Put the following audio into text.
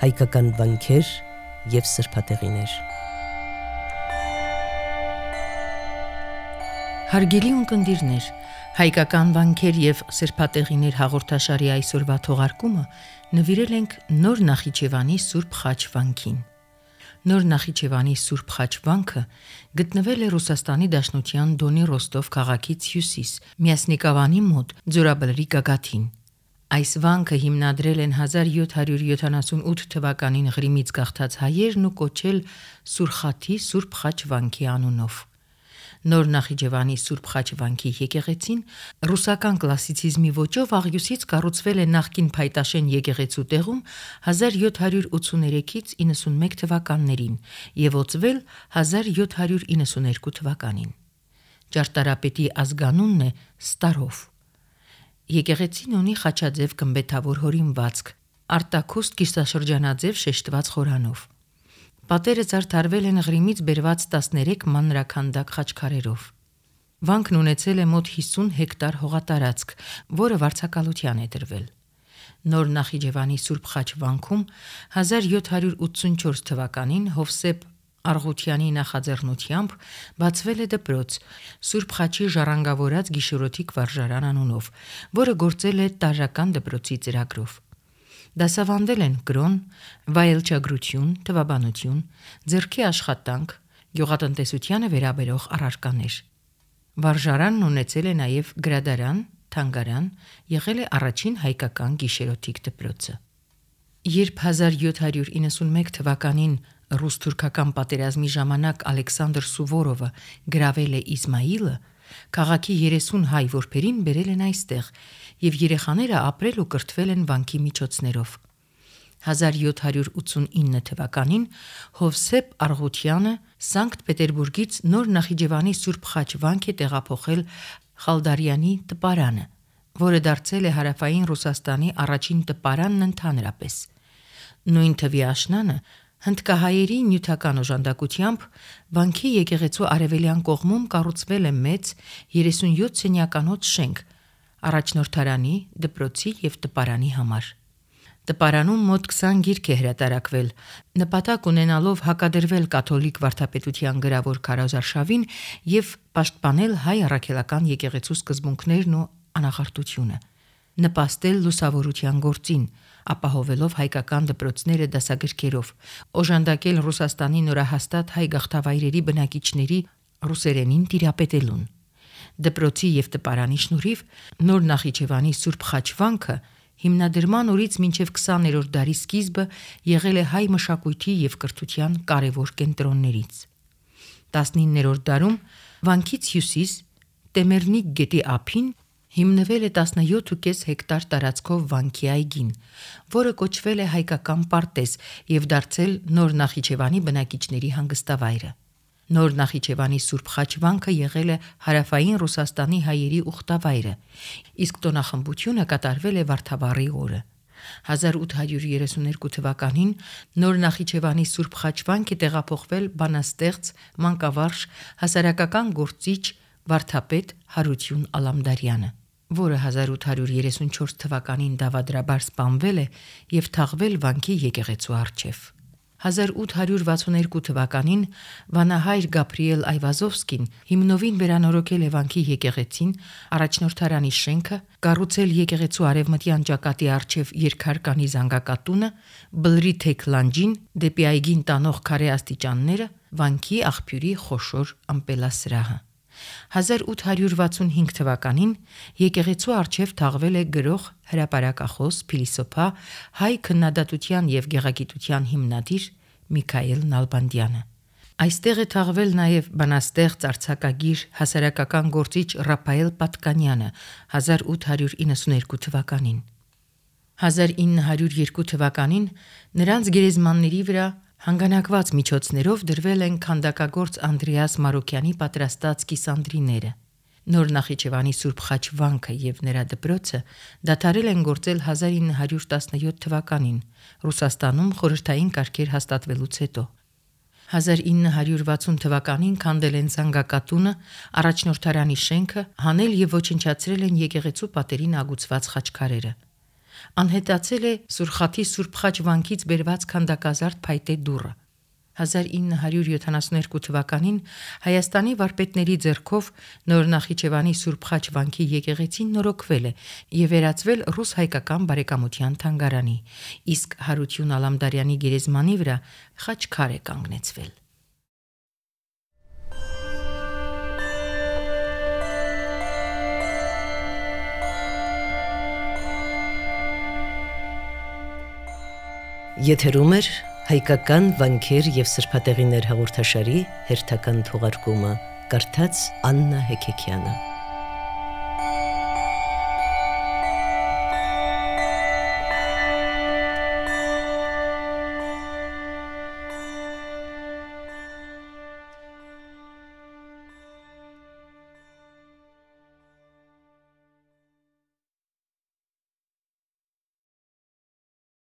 հայկական վանքեր և սրբատեղիներ։ Հարգելի ունկնդիրներ, հայկական վանքեր և սրբատեղիներ հաղորդաշարի այսօրվա թողարկումը նվիրել ենք Նոր Նախիջևանի Սուրբ Խաչ վանքին։ Նոր Նախիջևանի Սուրբ Խաչ վանքը գտնվել է Ռուսաստանի Դաշնության Դոնի Ռոստով քաղաքից հյուսիս, Միասնիկավանի մոտ, Ձորաբլրի գագաթին։ Այս վանքը հիմնադրել են 1778 թվականին Ղրիմից գաղթած հայերն ու կոչել Սուրխաթի Սուրբ Խաչ վանքի անունով։ Նոր Նախիջևանի Սուրբ Խաչ վանքի եկեղեցին ռուսական կլասիցիզմի ոճով աղյուսից կառուցվել է նախկին Փայտաշեն եկեղեցու տեղում 1783-ից 91 թվականներին և օծվել 1792 թվականին։ Ճարտարապետի ազգանունն է Ստարով։ Եկեղեցին ունի խաչաձև գմբեթավոր հորինվածք, արտաքուստ կիսաշրջանաձև շեշտված խորանով։ Պատերը զարդարվել են Ղրիմից բերված 13 մանրաքանդակ խաչքարերով։ Վանքն ունեցել է մոտ 50 հեկտար հողատարածք, որը վարձակալության է դրվել։ Նոր Նախիջևանի Սուրբ Խաչ վանքում 1784 թվականին Հովսեփ Արգուտյանի նախաձեռնությամբ բացվել է դպրոց Սուրբ Խաչի ժառանգավորած գիշերօթիկ վարժարան անունով, որը գործել է տարրական դպրոցի ծրագրով։ Դասավանդել են կրոն, վայելչագրություն, թվաբանություն, ձեռքի աշխատանք, գյուղատնտեսությանը վերաբերող առարկաներ։ Վարժարանն ունեցել է նաև գրադարան, թանգարան, եղել է առաջին հայկական գիշերօթիկ դպրոցը։ Երբ 1791 թվականին ռուս-թուրքական պատերազմի ժամանակ Ալեքսանդր Սուվորովը գրավել է Իսմայիլը, քաղաքի 30 հայ որբերին բերել են այստեղ, և երեխաները ապրել ու կրթվել են վանքի միջոցներով։ 1789 թվականին Հովսեփ Արգուտյանը Սանկտ Պետերբուրգից Նոր Նախիջևանի Սուրբ Խաչ վանք է տեղափոխել Խալդարյանի տպարանը, որը դարձել է հարավային Ռուսաստանի առաջին տպարանն ընդհանրապես։ Նույն թվի աշնանը հնդկահայերի նյութական օժանդակությամբ վանքի եկեղեցու արևելյան կողմում կառուցվել է մեծ 37 սենյականոց շենք առաջնորդարանի, դպրոցի և տպարանի համար։ Տպարանում մոտ 20 գիրք է հրատարակվել, նպատակ ունենալով հակադրվել կաթոլիկ վարդապետության գրավոր քարոզարշավին և պաշտպանել հայ առաքելական եկեղեցու սկզբունքներն ու անախարդությունը, նպաստել լուսավորության գործին, ապահովելով հայկական դպրոցները դասագրքերով, օժանդակել Ռուսաստանի նորահաստատ հայ գաղթավայրերի բնակիչների ռուսերենին տիրապետելուն։ Դպրոցի և տպարանի շնորհիվ Նոր Նախիջևանի Սուրբ Խաչ վանքը հիմնադրման օրից մինչև 20-րդ դարի սկիզբը եղել է հայ մշակույթի և կրթության կարևոր կենտրոններից։ 19-րդ դարում վանքից հյուսիս Տեմերնիկ գետի ափին հիմնվել է 17,5 հեկտար տարածքով վանքի այգին, որը կոչվել է հայկական պարտեզ և դարձել Նոր Նախիջևանի բնակիչների հանգստավայրը։ Նոր Նախիջևանի Սուրբ Խաչ վանքը եղել է հարավային Ռուսաստանի հայերի ուխտավայրը, իսկ տոնախմբությունը կատարվել է Վարդավառի օրը։ 1832 թվականին Նոր Նախիջևանի Սուրբ Խաչ վանք է տեղափոխվել բանաստեղծ, մանկավարժ, հասարակական գործիչ, վարդապետ Հարություն Ալամդարյանը, որը 1834 թվականին դավադրաբար սպանվել է և թաղվել վանքի եկեղեցու առջև։ 1862 թվականին վանահայր Գաբրիել Այվազովսկին հիմնովին վերանորոգել է վանքի եկեղեցին, առաջնորդարանի շենքը, կառուցել եկեղեցու արևմտյան ճակատի առջև երկհարկանի զանգակատունը, բլրի թեք լանջին, դեպի այգին տանող քարե աստիճանները, վանքի աղբյուրի խոշոր ամպելասրահը։ 1865 թվականին եկեղեցու առջև թաղվել է գրող, հրապարակախոս, փիլիսոփա, հայ քննադատության և գեղագիտության հիմնադիր Միքայել Նալբանդյանը։ Այստեղ է թաղվել նաև բանաստեղծ, արձակագիր, հասարակական գործիչ Ռափայել Պատկանյանը 1892 թվականին։ 1902 թվականին նրանց գերեզմանների վրա հանգանակված միջոցներով դրվել են քանդակագործ Անդրեաս Մարոկյանի պատրաստած կիսանդրիները։ Նոր Նախիջևանի Սուրբ Խաչ վանքը և նրա դպրոցը դադարել են գործել 1917 թվականին Ռուսաստանում խորհրդային կարգեր հաստատվելուց հետո։ 1960 թվականին քանդել են զանգակատունը, առաջնորդարանի շենքը, հանել և ոչնչացրել են եկեղեցու պատերին ագուցված խաչքարերը։ Անհետացել է Սուրխաթի Սուրբ Խաչ վանքից բերված քանդակազարդ փայտե դուռը։ 1972 թվականին Հայաստանի վարպետների ձեռքով Նոր Նախիջևանի Սուրբ Խաչ վանքի եկեղեցին նորոգվել է եւ վերածվել ռուս-հայկական բարեկամության թանգարանի, իսկ Հարություն Ալամդարյանի գերեզմանի վրա խաչքար է կանգնեցվել։ Եթերում է հայկական վանքեր եւ սրբատեղիներ հաղորդաշարի հերթական թողարկումը, կարդաց Աննա Հեքեքյանը։